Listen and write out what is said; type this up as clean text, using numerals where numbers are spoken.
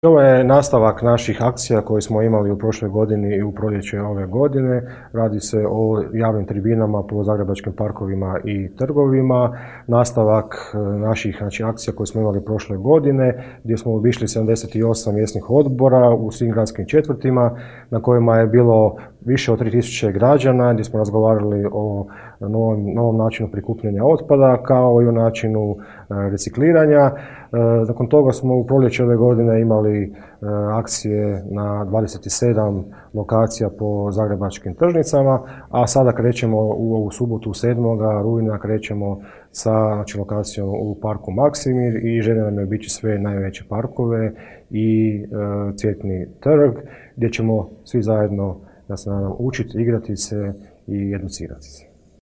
Ovo je nastavak naših akcija koje smo imali u prošloj godini i u proljeće ove godine. Radi se o javnim tribinama po zagrebačkim parkovima i trgovima. Nastavak naših akcija koje smo imali prošle godine, gdje smo obišli 78 mjesnih odbora u svim gradskim četvrtima, na kojima je bilo više od 3000 građana, gdje smo razgovarali o novom načinu prikupljanja otpada, kao i o načinu recikliranja. Nakon toga smo u proljeće ove godine imali akcije na 27 lokacija po zagrebačkim tržnicama, a sada krećemo u ovu subotu 7. rujna krećemo sa lokacijom u parku Maksimir i želja nam je obići sve najveće parkove i Cvjetni trg, gdje ćemo svi zajedno, ja se nadam, učiti, igrati se i educirati se.